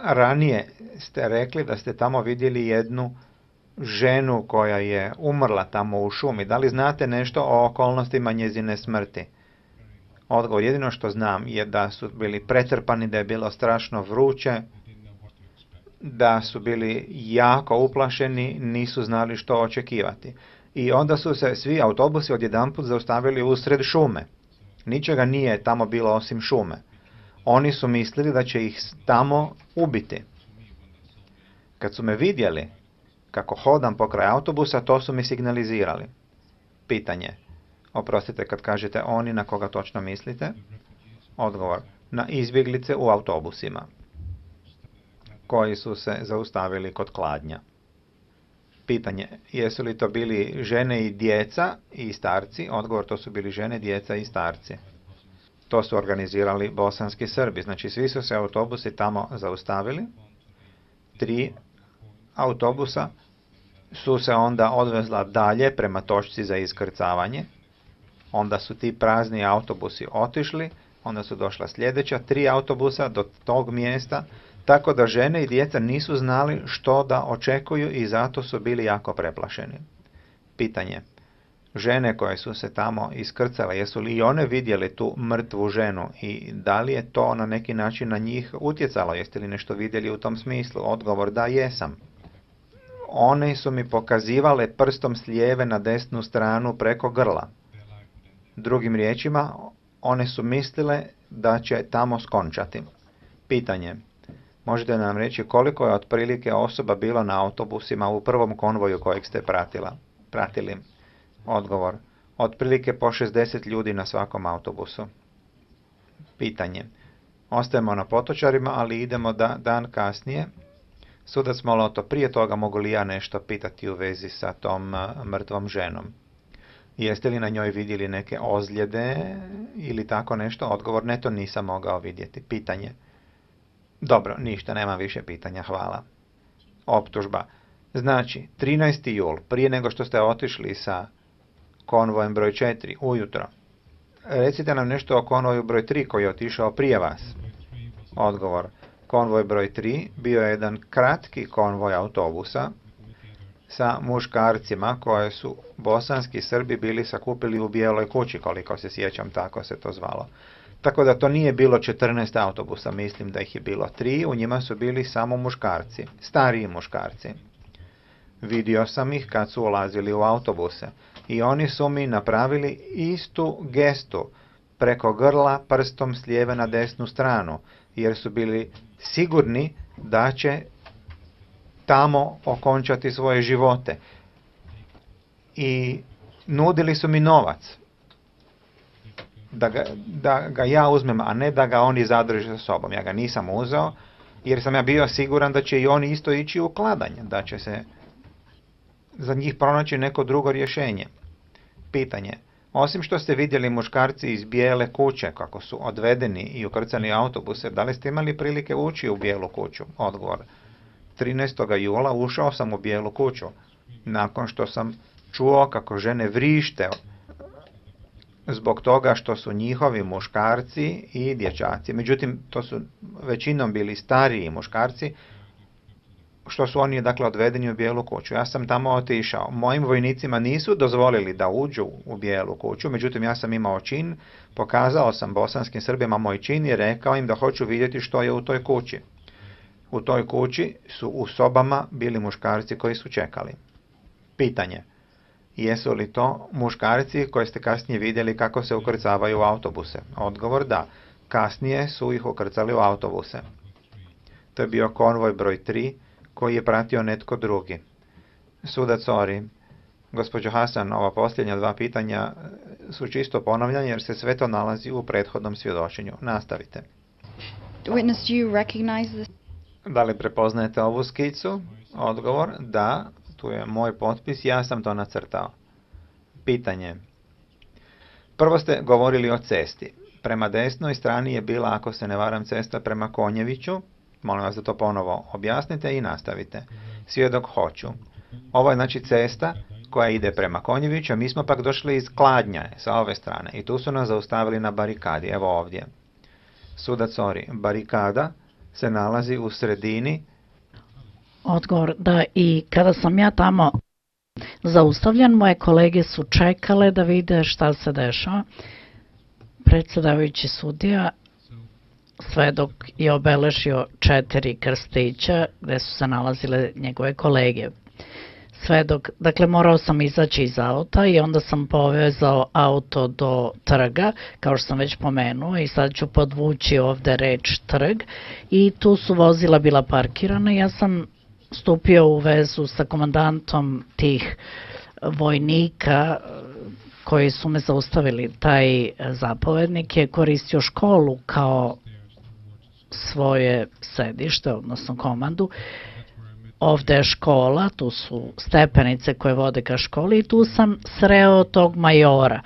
ranije ste rekli da ste tamo vidjeli jednu ženu koja je umrla tamo u šumi. Da li znate nešto o okolnostima njezine smrti? Odgovor, jedino što znam je da su bili pretrpani, da je bilo strašno vruće, da su bili jako uplašeni, nisu znali što očekivati. I onda su se svi autobusi odjedanput zaustavili usred šume. Ničega nije tamo bilo osim šume. Oni su mislili da će ih tamo ubiti. Kad su me vidjeli kako hodam pokraj autobusa, to su mi signalizirali. Pitanje. Oprostite, kad kažete oni, na koga točno mislite? Odgovor. Na izbjeglice u autobusima, koji su se zaustavili kod Kladnja. Pitanje. Jesu li to bili žene i djeca i starci? Odgovor, to su bili žene, djeca i starci. To su organizirali bosanski Srbi. Znači, svi su se autobusi tamo zaustavili. 3 autobusa su se onda odvezla dalje prema točci za iskrcavanje. Onda su ti prazni autobusi otišli. Onda su došla sljedeća 3 autobusa do tog mjesta. Tako da žene i djeca nisu znali što da očekuju i zato su bili jako preplašeni. Pitanje. Žene koje su se tamo iskrcale, jesu li i one vidjeli tu mrtvu ženu i da li je to na neki način na njih utjecalo? Jeste li nešto vidjeli u tom smislu? Odgovor, da, jesam. One su mi pokazivale prstom s lijeve na desnu stranu preko grla. Drugim riječima, one su mislile da će tamo skončati. Pitanje. Možete nam reći koliko je otprilike osoba bilo na autobusima u prvom konvoju kojeg ste pratili? Odgovor. Otprilike po 60 ljudi na svakom autobusu. Pitanje. Ostajemo na Potočarima, ali idemo dan kasnije. Sudac Moloto, prije toga mogu li ja nešto pitati u vezi sa tom mrtvom ženom? Jeste li na njoj vidjeli neke ozljede ili tako nešto? Odgovor, ne, to nisam mogao vidjeti. Pitanje. Dobro, ništa, nemam više pitanja, hvala. Optužba. Znači, 13. jul, prije nego što ste otišli sa konvojem broj 4, ujutro. Recite nam nešto o konvoju broj 3 koji je otišao prije vas. Odgovor. Konvoj broj 3 bio je jedan kratki konvoj autobusa sa muškarcima koje su bosanski Srbi bili sakupili u Bijeloj kući, koliko se sjećam, tako se to zvalo. Tako da to nije bilo 14 autobusa, mislim da ih je bilo 3, u njima su bili samo muškarci, stariji muškarci. Vidio sam ih kad su ulazili u autobuse i oni su mi napravili istu gestu preko grla prstom s lijeve na desnu stranu, jer su bili sigurni da će tamo okončati svoje živote. I nudili su mi novac da ga ja uzmem, a ne da ga oni zadrže sa sobom. Ja ga nisam uzeo, jer sam ja bio siguran da će i oni isto ići u kladanje, da će se za njih pronaći neko drugo rješenje. Pitanje. Osim što ste vidjeli muškarci iz Bijele kuće kako su odvedeni i ukrcani u autobuse, da li ste imali prilike ući u Bijelu kuću? Odgovor. 13. jula ušao sam u Bijelu kuću, nakon što sam čuo kako žene vrište zbog toga što su njihovi muškarci i dječaci, međutim to su većinom bili stariji muškarci, što su oni dakle odvedeni u Bijelu kuću. Ja sam tamo otišao. Mojim vojnicima nisu dozvolili da uđu u Bijelu kuću, međutim ja sam imao čin, pokazao sam bosanskim Srbima moj čin i rekao im da hoću vidjeti što je u toj kući. U toj kući su u sobama bili muškarci koji su čekali. Pitanje. Jesu li to muškarci koje ste kasnije vidjeli kako se ukrcavaju u autobuse? Odgovor, da. Kasnije su ih ukrcali u autobuse. To je bio konvoj broj 3 koji je pratio netko drugi. Sudac Ori, gospođo Hasan, ova posljednja 2 pitanja su čisto ponavljanje jer se sve to nalazi u prethodnom svjedočenju. Nastavite. Witness, do you recognize this? Da li prepoznajete ovu skicu? Odgovor, da. Tu je moj potpis, ja sam to nacrtao. Pitanje. Prvo ste govorili o cesti. Prema desnoj strani je bila, ako se ne varam, cesta prema Konjeviću. Molim vas da to ponovo objasnite i nastavite. Svjedok, hoću. Ovo je znači cesta koja ide prema Konjeviću, a mi smo pak došli iz Kladnja sa ove strane i tu su nas zaustavili na barikadi, evo ovdje. Sudac Ori, barikada se nalazi u sredini. Odgovor, da, i kada sam ja tamo zaustavljen, moje kolege su čekale da vide šta se dešava. Predsedavajući sudija, svedok je obeležio 4 krstića gde su se nalazile njegove kolege. Svedok, dakle morao sam izaći iz auta i onda sam povezao auto do trga, kao što sam već pomenuo, i sad ću podvući ovde reč trg, i tu su vozila bila parkirana. Ja sam stupio u vezu sa komandantom tih vojnika koji su me zaustavili. Taj zapovednik je koristio školu kao svoje sedište, odnosno komandu. Ovde je škola, tu su stepenice koje vode ka školi i tu sam sreo tog majora.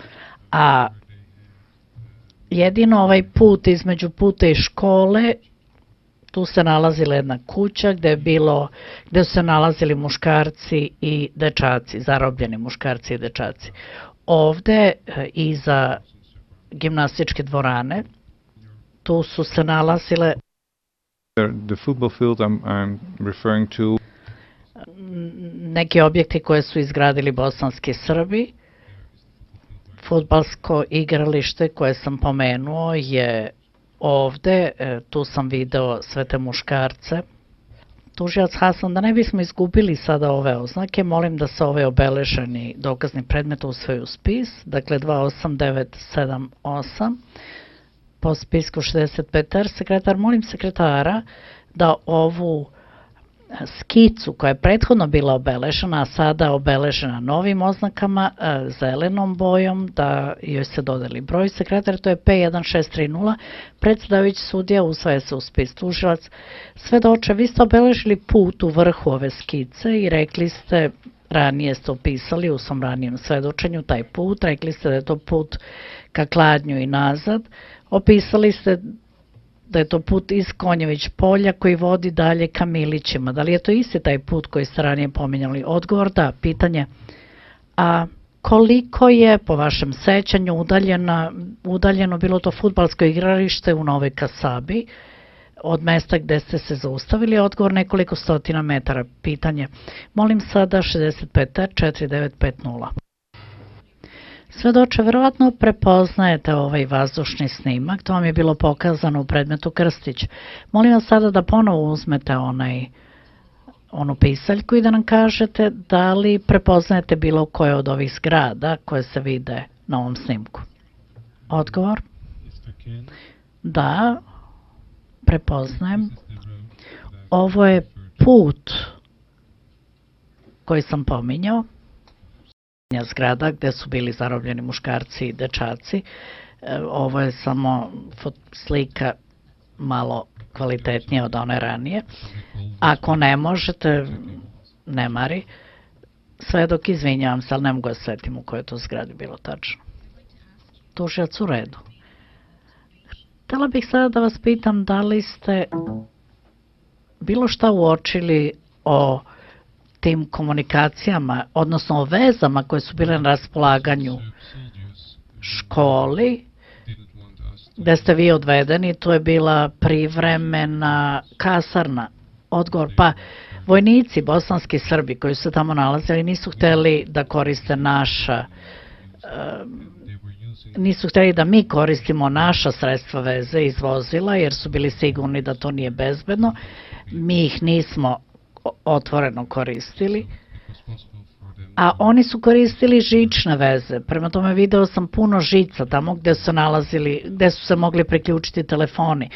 A jedino ovaj put između puta i škole, tu se nalazila jedna kuća gde su se nalazili muškarci i dečaci, zarobljeni muškarci i dečaci. Ovde, iza gimnastičke dvorane, tu su se nalazile the football field I'm referring to. Neki objekti koje su izgradili bosanski Srbi. Fudbalsko igralište koje sam pomenuo je ovde, tu sam video sve te muškarce. Tužilac Hasan, da ne bismo izgubili sada ove oznake, molim da se ovaj obeleženi dokazni predmet usvoji u spis, dakle 28978, po spisku 65R. Sekretar, molim sekretara da ovu skicu koja je prethodno bila obeležena, a sada obeležena novim oznakama, zelenom bojom, da joj se dodeli broj. Sekretar, to je P1630, predsedavajući sudija, usvaja se u spis. Tužilac, svedoče, vi ste obeležili put u vrhu ove skice i rekli ste, ranije ste opisali u svom ranijem svedočenju taj put, rekli ste da je to put ka Kladnju i nazad, opisali ste da je to put iz Konjević polja koji vodi dalje ka Milićima. Da li je to isti taj put koji ste ranije pominjali? Odgovor, da. Pitanje, a koliko je po vašem sećanju udaljeno bilo to fudbalsko igralište u Novoj Kasabi od mesta gde ste se zaustavili? Odgovor, nekoliko stotina metara. Pitanje, molim sada 65R4950. Svedoče, verovatno prepoznajete ovaj vazdušni snimak, to vam je bilo pokazano u predmetu Krstić. Molim vas sada da ponovo uzmete onu pisaljku i da nam kažete da li prepoznajete bilo koje od ovih zgrada koje se vide na ovom snimku. Odgovor? Da, prepoznajem. Ovo je put koji sam pominjao, zgrada gde su bili zarobljeni muškarci i dečaci. Ovo je samo slika malo kvalitetnija od one ranije. Ako ne možete, ne mari. Svedok, izvinjavam se, ali ne mogu da setim u kojoj to zgradi bilo tačno. Tužilac, u redu. Htela bih sada da vas pitam da li ste bilo šta uočili o tim komunikacijama, odnosno o vezama koje su bile na raspolaganju školi, gde ste vi odvedeni, to je bila privremena kasarna. Odgovor, pa vojnici, bosanski Srbi koji su se tamo nalazili nisu hteli da koriste nisu hteli da mi koristimo naša sredstva veze iz vozila, jer su bili sigurni da to nije bezbedno. Mi ih nismo otvoreno koristili, a oni su koristili žične veze. Prema tome video sam puno žica tamo gde su se mogli priključiti telefoni.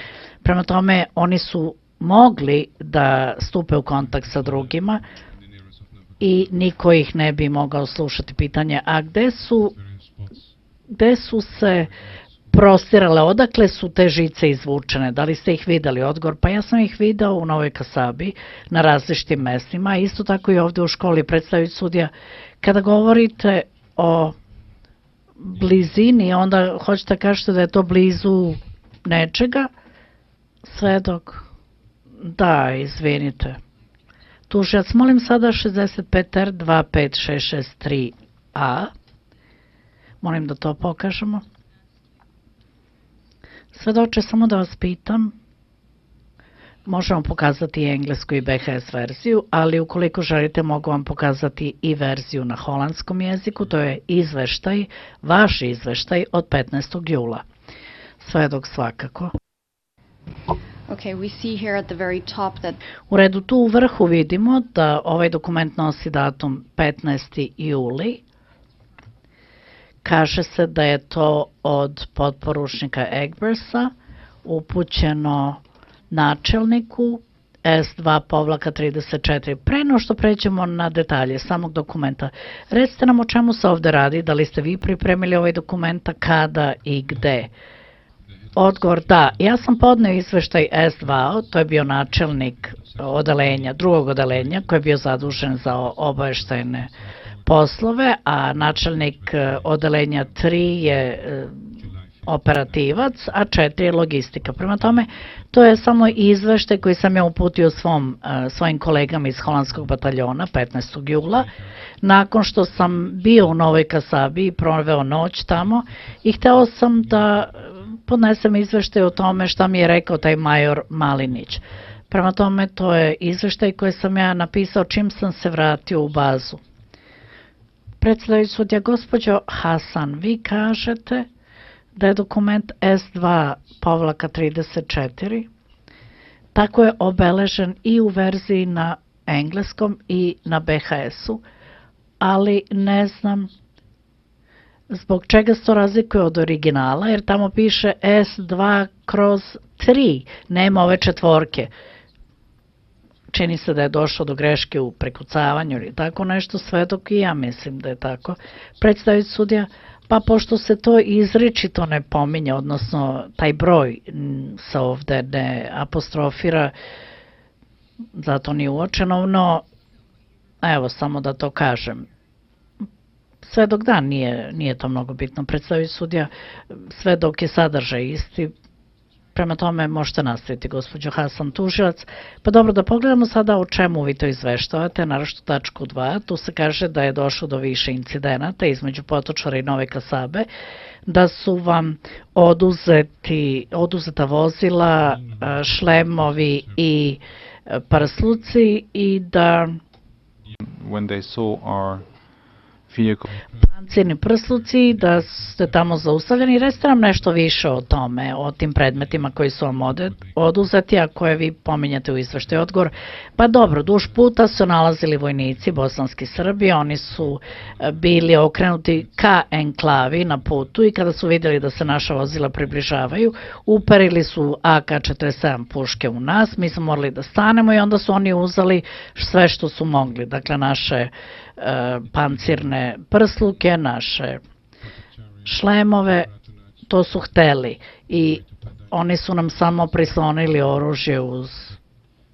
Prema tome oni su mogli da stupe u kontakt sa drugima i niko ih ne bi mogao slušati. Pitanje, a gde su se prostirale, odakle su te žice izvučene, da li ste ih videli? Odgovor, pa ja sam ih video u Novoj Kasabi na različitim mestima, isto tako i ovde u školi. Predstaviti sudija, kada govorite o blizini, onda hoćete da kažete da je to blizu nečega? Svedok, da, izvinite. Tužilac, molim sada 65R25663A, molim da to pokažemo. Svedoče, samo da vas pitam, Možemo pokazati i englesku i BHS verziju, ali ukoliko želite mogu vam pokazati i verziju na holandskom jeziku, to je izveštaj, vaš izveštaj od 15. jula. Svedok svakako. Okay, we see here at the very top that U redu tu u vrhu vidimo da ovaj dokument nosi datum 15. juli. Kaže se da je to od potporučnika Egbersa upućeno načelniku S2-34. Pre no što pređemo na detalje samog dokumenta, recite nam o čemu se ovde radi, da li ste vi pripremili ovaj dokumenta, kada i gde? Odgovor da, ja sam podneo izveštaj S2, to je bio načelnik odelenja, drugog odelenja koji je bio zadužen za obaveštajne poslove, a načelnik odelenja 3 je operativac, a 4 je logistika. Prema tome, to je samo izveštaj koji sam ja uputio svojim kolegama iz holandskog bataljona 15. jula, nakon što sam bio u Novoj Kasabi i proveo noć tamo i hteo sam da podnesem izveštaj o tome šta mi je rekao taj major Malinić. Prema tome, to je izveštaj koji sam ja napisao čim sam se vratio u bazu. Predsedavajući sudija, gospođo Hasan, vi kažete da je dokument S2-34 tako je obeležen i u verziji na engleskom i na BHS-u, ali ne znam zbog čega se to razlikuje od originala, jer tamo piše S2/3, nema ove četvorke. Čini se da je došlo do greške u prekucavanju ili tako nešto, svedok i ja mislim da je tako. Predstaviti sudija, pa pošto se to izričito ne pominje, odnosno taj broj se ovde ne apostrofira, zato nije uočeno, no evo samo da to kažem. Svedok da, nije to mnogo bitno. Predstaviti sudija, svedok je sadržaj isti, prema tome možete nastaviti, gospođo Hasan, tužilac. Pa dobro, da pogledamo sada o čemu vi to izveštavate, naročito tačku 2. Tu se kaže da je došlo do više incidenata između Potočara i Nove Kasabe, da su vam oduzeta vozila, šlemovi i prsluci i da When they saw our vehicle, pancirni prsluci, da ste tamo zaustavljeni. Recite nam nešto više o tome, o tim predmetima koji su vam oduzeti, a koje vi pominjate u izveštaju. Odgovor, pa dobro, duž puta su nalazili vojnici bosanski Srbi, oni su bili okrenuti ka enklavi na putu i kada su vidjeli da se naša vozila približavaju, uperili su AK-47 puške u nas, mi smo morali da stanemo i onda su oni uzeli sve što su mogli, dakle naše pancirne prsluke, naše šlemove, to su hteli i oni su nam samo prislonili oružje uz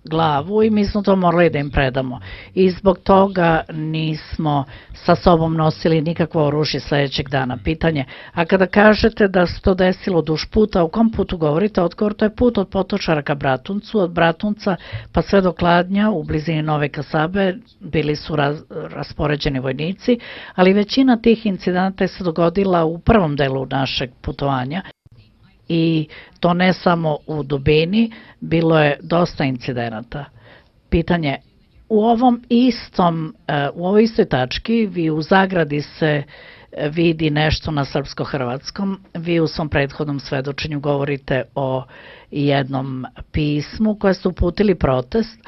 glavu i mi smo to morali da im predamo. I zbog toga nismo sa sobom nosili nikakvo oružje sledećeg dana. Pitanje, a kada kažete da se to desilo duž puta, u kom putu govorite? Odgovor, to je put od Potočara ka Bratuncu, od Bratunca pa sve do Kladnja u blizini Nove Kasabe bili su raspoređeni vojnici, ali većina tih incidenata se dogodila u prvom delu našeg putovanja. I to ne samo u dubini, bilo je dosta incidenata. Pitanje, u ovoj istoj tački, vi u zagradi se vidi nešto na srpsko-hrvatskom, vi u svom prethodnom svedočenju govorite o jednom pismu koje ste uputili protest,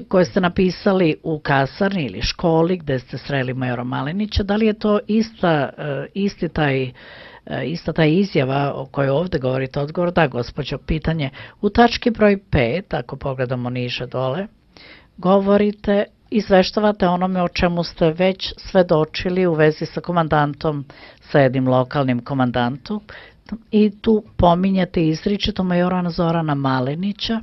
koje ste napisali u kasarni ili školi gde ste sreli majora Malinića. Da li je to ista ta izjava o kojoj ovde govorite? Odgovor, da, gospođo. Pitanje, u tački broj 5, ako pogledamo niže dole, govorite, izveštavate onome o čemu ste već svedočili u vezi sa komandantom, sa jednim lokalnim komandantom, i tu pominjate izričito majora Zorana Malinića,